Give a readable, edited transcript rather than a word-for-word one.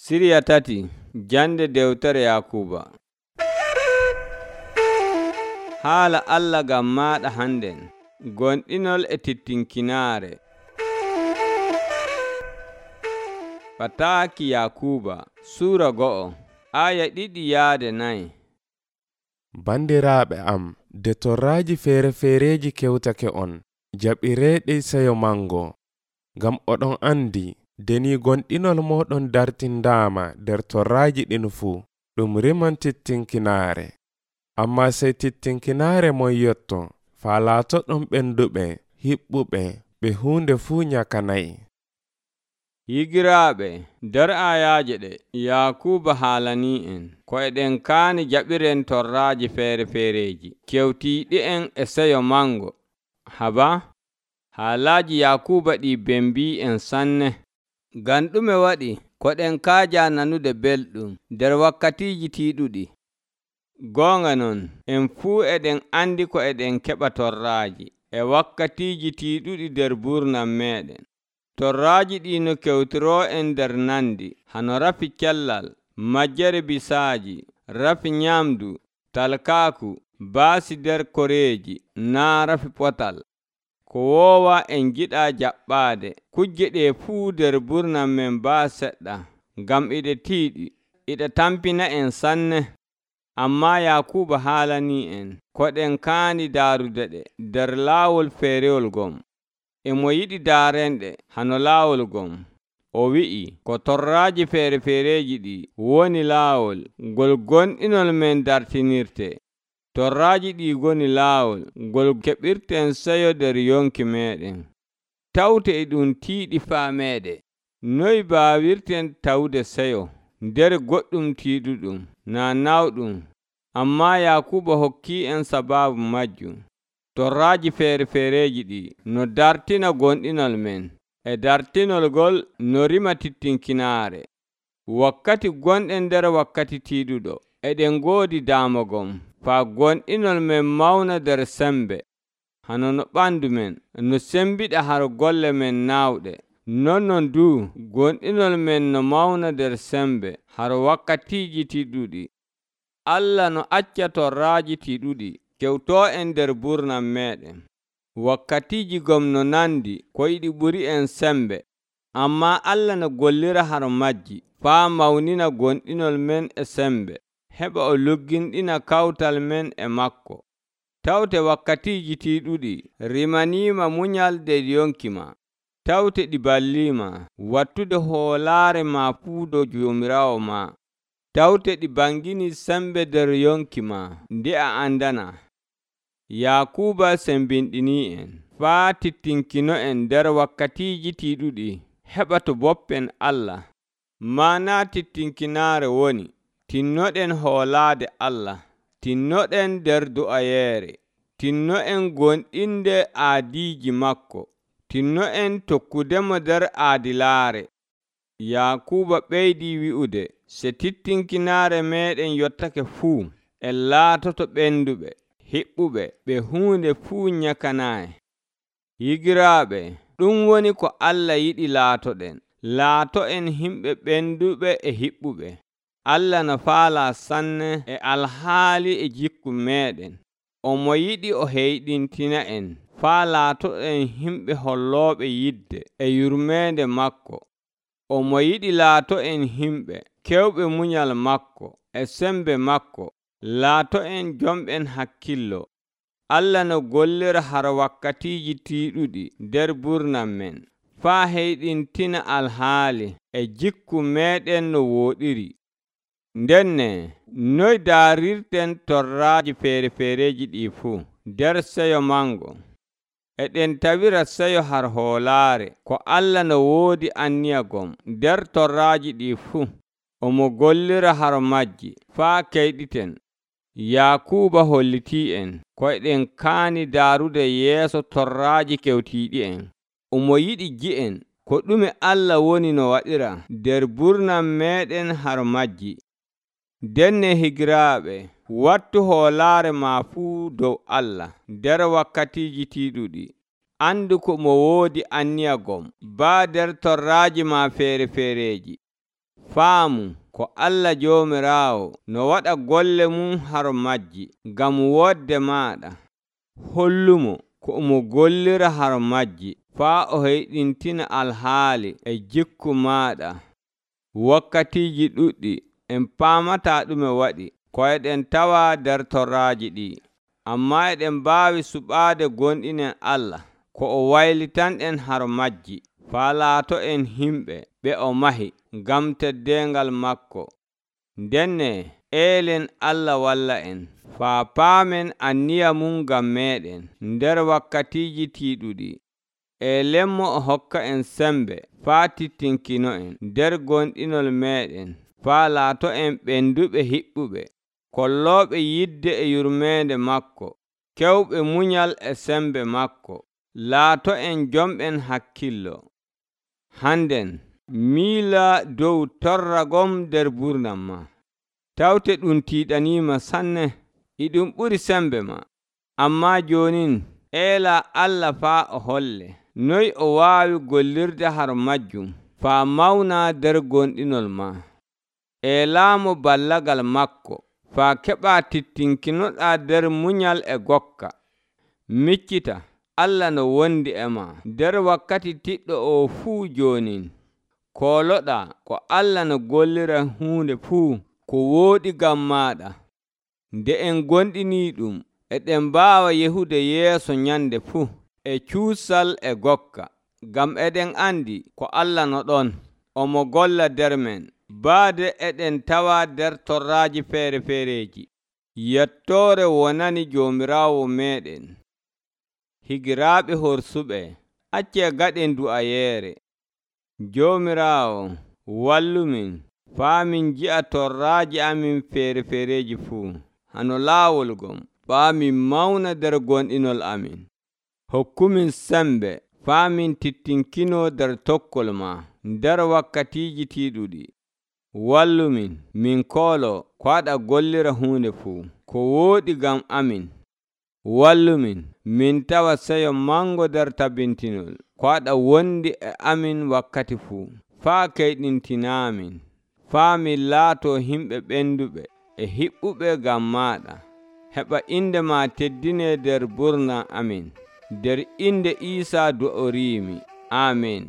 Siriya tati jande dewtere Yakuba. Haala Allah ngam maaɗa hannden, gonɗinol e tittinkinaare. Fataaki Yakuba Suura 2 aya 2-4. Bandiraaɓe am, de torraaji feere-feereji kewtake on, jaɓireeɗi seyo mango, ngam oɗon andi deni gonɗinol moɗon dartindaama nder torraaji ɗin fuu, ɗum riman tittinkinaare. Amma sey tittinkinaare mon yotto, faa laatoɗon ɓenduɓe, hiɓɓuɓe, ɓe huunde fuu nyakanayi. Higiraaɓe, nder ayaaje ɗe Yakuba haalanii en ko eɗen kaani jaɓiren torraaji feere-feereji kewtiiɗi'en e seyo mango. Haba, haalaaji Yakuba ɗi bembii en sanne. Ngam ɗume waɗi ko ɗen kaaja nanude belɗum nder wakkatiiji tiiɗuɗi? Goonga non, en fuu eɗen andi ko eɗen keɓa torraaji e wakkatiiji tiiɗuɗi nder burnam meɗen. Torraaji ɗi no kewtiroo en nder nandi, hano rafi cellal, majjere bisaaji, rafi nyamdu, talkaaku, baasi nder koreeji, naa rafi potal. Ko woowa en giɗa jaɓɓaade kujje ɗe fuu nder burnam men baa seɗɗa, ngam iɗe tiiɗi, iɗe tampina en sanne. Amma Yakuba haalanii en ko ɗen kaani daarude ɗe nder laawol feerewol ngom. Emo yiɗi daarenɗe hano laawol ngom. O wi'i ko torraaji feere-feereji ɗi woni laawol ngol gonɗinol men dartinirte. Torraaji ɗi ngoni laawol ngol keɓirten seyo nder yonki meɗen. Tawte e ɗum tiiɗi faameede, noy baawirten tawde seyo nder goɗɗum tiiɗuɗum naa nawɗum? Amma Yakuba hokkii en sabaabu majjum. Torraaji feere-feereji ɗi no dartina gonɗinol men, e dartinol ngol no rima tittinkinaare. Wakkati gonɗen nder wakkati tiiɗuɗo, eɗen ngoodi daamogom, faa gonɗinol men mawna nder sembe. Hano no ɓandu men no sembiɗa har golle men naawɗe, nonnon duu gonɗinol men no mawna nder sembe har wakkatiiji tiiɗuɗi. Allah no acca torraaji tiiɗuɗi kewtoo en nder burnam meɗen. Wakkatiiji gom no nandi ko yiɗi ɓuri en sembe, amma Allah no gollira har majji faa mawnina gonɗinol men e sembe, heɓa o lugginɗina kawtal men e makko. Tawte wakkatiiji tiiɗuɗi rimaniima munyal nder yonki ma. Tawte ɗi balliima wattude hoolaare ma fuu dow Joomiraawo ma. Tawte ɗi bangini sembe nder yonki ma nde a andana. Yakuba sembinɗinii en faa tittinkino en nder wakkatiiji tiiɗuɗi heɓa to boppen Allah. Maana tittinkinaare woni tinnoɗen hoolaade Allah, tinnoɗen nder du'ayeere, tinno'en gonɗinde aadiiji makko, tinno'en tokkudemo nder aadilaare. Yakuba ɓeydii wi'ude, se tittinkinaare meɗen yottake fuu, en laatoto ɓenduɓe, hiɓɓuɓe, ɓe huunde fuu nyakanaayi. Higiraaɓe, ɗum woni ko Allah yiɗi laatoɗen. Laato'en himɓe ɓenduɓe e hiɓɓuɓe. Allah no faala sanne e alhaali e jikku meɗen. Omo yiɗi o heyɗintina en faa laatoɗen himɓe hollooɓe yidde e yurmeende makko. Omo yiɗi laato'en himɓe kewɓe munyal makko e sembe makko. Laato'en jomɓen hakkillo. Allah no gollira har wakkatiiji tiiɗuɗi nder burnam men, faa heyɗintina alhaali e jikku meɗen no wooɗiri. Ndenne, noy daarirten torraaji feere-feereji ɗi fuu nder seyo mango? Eɗen tawira seyo har hoolaare ko Allah no woodi anniyagom nder torraaji ɗi fuu. Omo gollira har majji faa keyɗiten. Yakuba hollitii en ko eɗen kaani daarude yeeso torraaji kewtiiɗi en. Omo yiɗi gi'en ko ɗume Allah woni no waɗira nder burnam meɗen har majji. Denne higiraaɓe, wattu hoolaare ma fuu dow Allah nder wakkatiiji tiiɗuɗi. Andu ko mo woodi anniyagom baa nder torraaji ma feere-feereji. faamu ko Allah Joomiraawo no waɗa golle mum har majji ngam woɗde maaɗa. Hollumo ko omo gollira har majji faa o heyɗintina alhaali e jikku maaɗa. Wakkatiiji ɗuɗɗi en paamataa ɗume waɗi ko eɗen tawa nder torraaji ɗi, ammaa eɗen mbaawi suɓaade gonɗinen Allah ko o waylitan'en har majji faa laato'en himɓe ɓe o mahi ngam teddeengal maako. Ndenne eelen Allah walla en faa paamen anniya mum ngam meeɗen nder wakkatiiji tiiɗuɗi. Eelenmo o hokka en sembe faa tittinkino'en nder gonɗinol meeɗen faa laato'en ɓenduɓe hiɓɓuɓe, kollooɓe yidde e yurmeende maako, kewɓe munyal e sembe maako. Laato'en jomɓen hakkillo. Hannden miila dow torragom nder burnam ma. Tawte ɗum tiiɗaniima sanne, e ɗum ɓuri sembe ma. Ammaa joonin eela Allah faa o holle noy o waawi gollirde har majjum faa mawna nder gonɗinol ma. Eelaamo ballagal makko faa keɓaa tittinkinoɗaa nder munyal e gokka. Miccita Allah no wondi e ma nder wakkati tiɗɗo oo fuu joonin. Kooloɗaa ko Allah no gollira huunde fuu ko wooɗi ngam maaɗa. Nde en gonɗinii ɗum, eɗen mbaawa yehude yeeso nyande fuu e cuusal e gokka, ngam eɗen andi ko Allah no ɗon, omo golla nder men, baade eɗen tawa nder torraaji feere-feereji. Yettoore wonani Joomiraawo meeɗen. Higiraaɓe horsuɓe, accee gaɗen du'ayeere. Joomiraawo, wallumin faa min nji'a torraaji amin feere-feereji fuu hano laawol ngom, faa min mawna nder gonɗinol amin. Hokkumin sembe faa min tittinkinoo nder tokkol ma nder wakkatiiji tiiɗuɗi. Wallumin min kooloo ko aɗa gollira huunde fuu ko wooɗi ngam amin. Wallumin min tawa seyo mango nder tabintinol ko aɗa wondi e amin wakkati fuu, faa keyɗintinaamin, faa min laatoo himɓe ɓenduɓe e hiɓɓuɓe ngam maaɗa. Heɓa inde ma teddinee nder burna amin. Nder inde Iisaa du'oriimi. Aamen.